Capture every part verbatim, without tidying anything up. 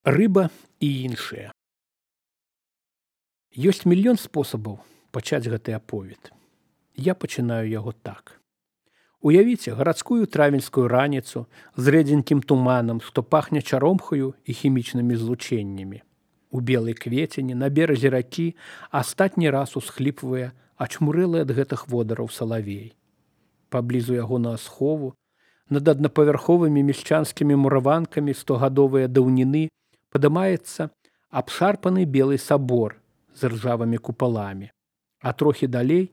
Рыба і іншыя. Ёсць мільён спосабаў пачаць гэты аповед. Я пачынаю яго так. Уявіце гарадскую травеньскую раніцу з рэдзенькім туманам, што пахне чаромхаю і хімічнымі злучэннямі. У белай кветені на беразе ракі астатні раз усхліпвае ачмурэлы ад гэтых водараў салавей. Паблізу ягонага схову, над аднапавярховымі мешчанскімі мураванкамі стогадовыя даўніны падымаецца абшарпаны белы сабор з ржавымі купаламі, а трохі далей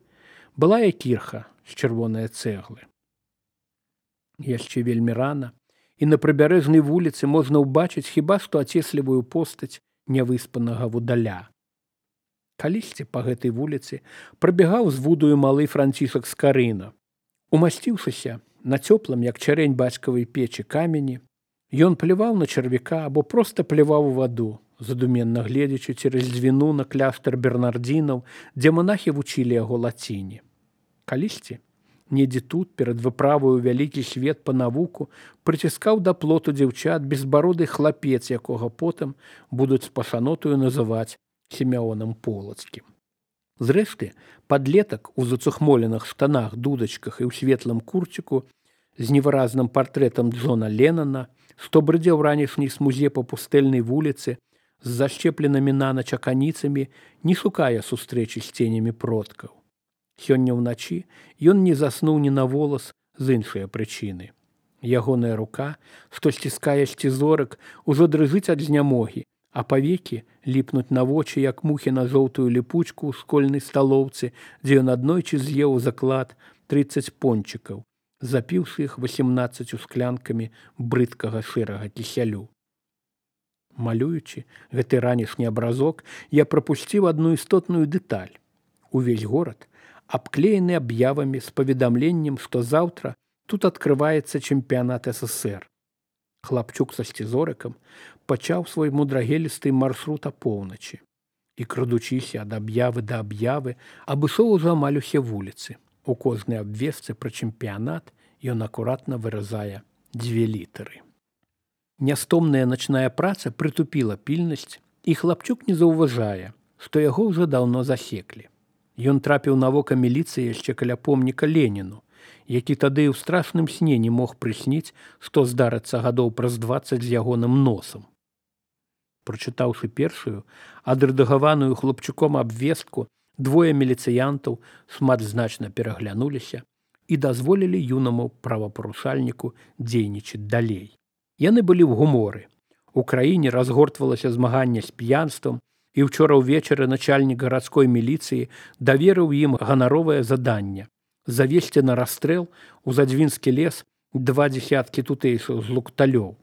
былая кірха з чырвонае цэглы. Яшчэ вельмі рана, і на прыбярэжнай вуліцы можна ўбачыць хіба што ацеслівую постаць нявыспанага вудаля. Калісьці па гэтай вуліцы прабягаў з вудаю малы Францішак Скарына. Умасціўшыся на цёплым, як чарэнь бацькавай печы камені, ён пляваў на чарвяка або проста пляваў у ваду, задуменна гледзячы цераз дзвіну на кляштар бернардзінаў, дзе манахі вучылі яго лаціне. Калісьці, недзе тут, перад выправаю вялікі свет па навуку, прыціскаў да плоту дзяўчат безбароды хлапец, якога потым будуць пашанотую называць Сімеонам Полацкім. Зрэшты, падлетак у зацухмоленых штанах, дудачках і ў светлым курціку з невыразным партрэтам Джона Леннона, што брыдзеў ранішняй смузе па пустэльнай вуліцы з зашчепленымі нанач аканіцамі, не шукае сустрэчы з ценямі продкаў. Сёння ўначы ён не заснуў ні на волас з іншыя прычыны. Ягоная рука, што сціскае сцізорык, ужо дрыжыць ад знямогі, а павекі ліпнуць на вочы, як мухі на жоўтую ліпучку ў школьнай сталоўцы, дзе ён аднойчы з'еў заклад трыццаць пончыкаў, запіўшы іх васемнаццаццю склянкамі брыдкага шэрага кісялю. Малюючы гэты ранішні абразок, я прапусціў адну істотную дэталь. Увесь горад абклеены аб'явамі з паведамленнем, што заўтра тут адкрываецца чэмпіянат эс эс эр. Хлапчук са сцізорыкам пачаў свой мудрагелісты маршрут апоўначы і, крадучыся ад аб'явы да аб'явы, абышоў ужо амаль усе вуліцы. У кожнай абвестцы пра чэмпіянат ён акуратна выразае дзве літары. Нястомная начная праца прытупіла пільнасць, і хлапчук не заўважае, што яго ўжо даўно засеклі. Ён трапіў на вока міліцыі яшчэ каля помніка Леніну, які тады ў страшным сне не мог прысніць, што здарыцца гадоў праз дваццаць з ягоным носам. Прачытаўшы першую, адрэдагаваную хлопчуком абвестку, двое міліцыянтаў шматзначна пераглянуліся і дазволілі юнаму правапарушальніку дзейнічаць далей. Яны былі ў гуморы. У краіне разгортвалася змаганне з п'янствам, і ўчора ўвечары начальнік гарадской міліцыі даверыў ім ганаровае заданне завесці на расстрэл у Задзвінскі лес два дзесяткі тутэйшых злукталёў.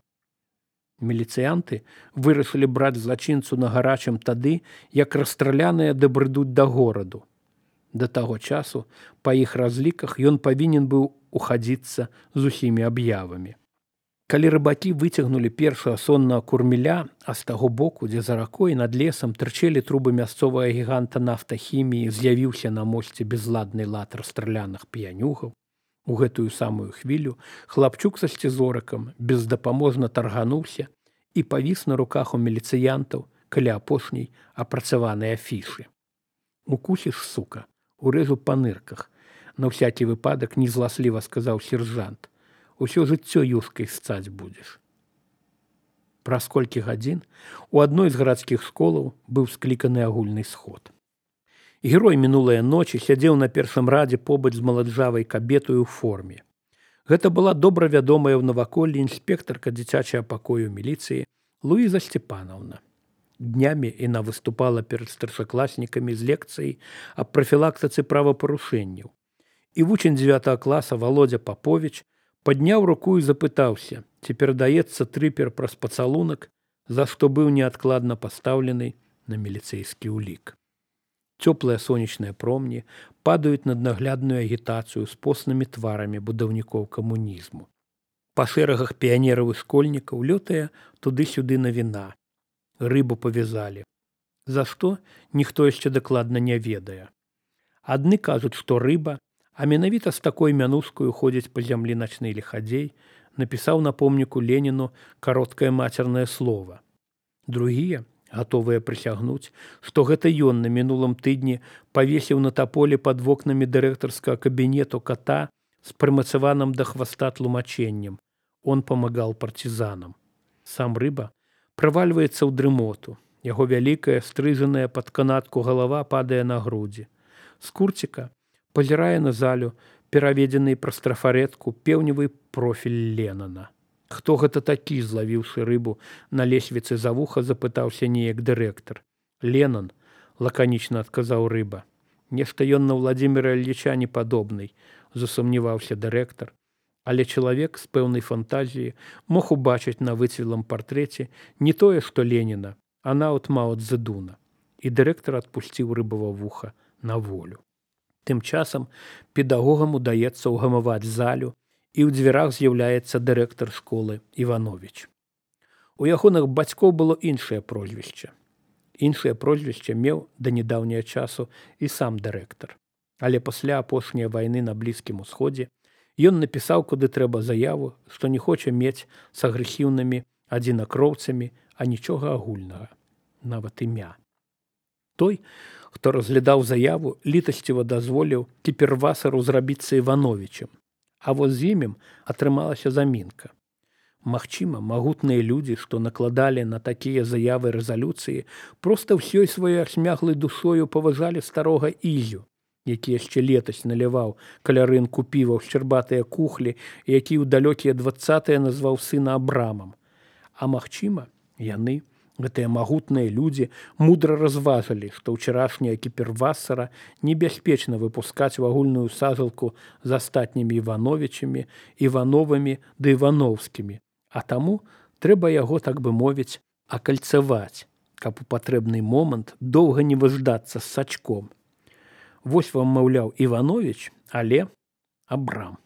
Міліцыянты вырашылі браць злачынцу на гарачым тады, як расстраляныя дабрыдуць да гораду. Да таго часу, па іх разліках, ён павінен быў ухадзіцца з усімі аб'явамі. Калі рыбакі выцягнулі першага соннага курміля, а з таго боку, дзе за ракой над лесам тырчэлі трубы мясцовага гіганта нафтахіміі, з'явіўся на мосце безладны лад расстраляных п'янюгаў, у гэтую самую хвілю хлапчук са сцізорыкам бездапаможна таргануўся і павіс на руках у міліцыянтаў каля апошняй апрацаванай афішы. «Укусіш, сука, урэжу па нырках», на ўсякі выпадак незласліва сказаў сержант. «Усё жыццё юшкай сцаць будзеш». Праз колькі гадзін у адной з гарадскіх школаў быў скліканы агульны сход. Герой мінулыя ночы сядзеў на першым радзе побач з маладжавай кабетаю ў форме. Гэта была добра вядомая ў наваколлі інспектарка дзіцячага пакою міліцыі Луіза Сцепанаўна. Днямі яна выступала перад старшакласнікамі з лекцыяй аб прафілактыцы правапарушэнняў. І вучань дзевятага класа Володя Папович падняў руку і запытаўся, ці перадаецца трыпер праз пацалунак, за што быў неадкладна пастаўлены на міліцэйскі ўлік. Цёплыя сонечныя промні падаюць над наглядную агітацыю з поснымі тварамі будаўнікоў камунізму. Па шэрагах піянераў і школьнікаў лётае туды-сюды навіна. Рыбу павязалі. За што, ніхто яшчэ дакладна не ведае. Адны кажуць, што рыба, а менавіта з такой мянушкаю ходзіць па зямлі начны лихадзей, напісаў на помніку Леніну кароткае мацернае слова. Другія, гатовыя прысягнуць, што гэта ён на мінулым тыдні павесіў на таполе пад вокнамі дырэктарскага кабінету кота з прымацаваным да хваста тлумачэннем. Он памагал партизанам. Сам рыба правальваецца ў дрымоту. Яго вялікая, стрыжаная пад канатку галава падае на грудзі. З курціка пазірае на залю, пераведзены праз трафаретку пеўневы профіль Ленана. Хто гэта такі, злавіўшы рыбу на лесвіцы за вуха, запытаўся неяк дырэктар. Ленан, лаканічна адказаў рыба. Нешта ён на Владзіміра Ільіча не падобны, засумняваўся дырэктар. Але чалавек з пэўнай фантазіяй мог убачыць на выцвілым партрэце не тое, што Леніна, а нават Мао Цзэдуна. І дырэктар адпусціў рыбава вуха на волю. Тым часам педагогам удаецца ўгамаваць залю, і ў дзвярах з'яўляецца дырэктар школы Івановіч. У ягоных бацькоў было іншае прозвішча. Іншае прозвішча меў да нядаўняга часу і сам дырэктар. Але пасля апошняй вайны на Блізкім Усходзе ён напісаў, куды трэба заяву, што не хоча мець з агрэсіўнымі адзінакроўцамі, а нічога агульнага, нават імя. Той, хто разглядаў заяву, літасціва дазволіў кіпервасару зрабіцца Івановічем. А вось з імем атрымалася замінка. Магчыма, магутныя людзі, што накладалі на такія заявы рэзалюцыі, проста ўсёй сваёй асмяглай душою паважалі старога Ізю, які яшчэ летась наліваў каля рынку піва ў шчарбатыя кухлі, які ў далёкія дваццатыя назваў сына Абрамам. А магчыма, яны, гэтыя магутныя людзі, мудра разважылі, што ўчарашняя кіпервасара небяспечна выпускаць у агульную сажалку з астатнімі Івановічамі, Івановымі ды Івановскімі, а таму трэба яго, так бы мовіць, акальцаваць, каб у патрэбны момант доўга не выждацца з сачком. Вось вам, маўляў, Івановіч, але Абрам.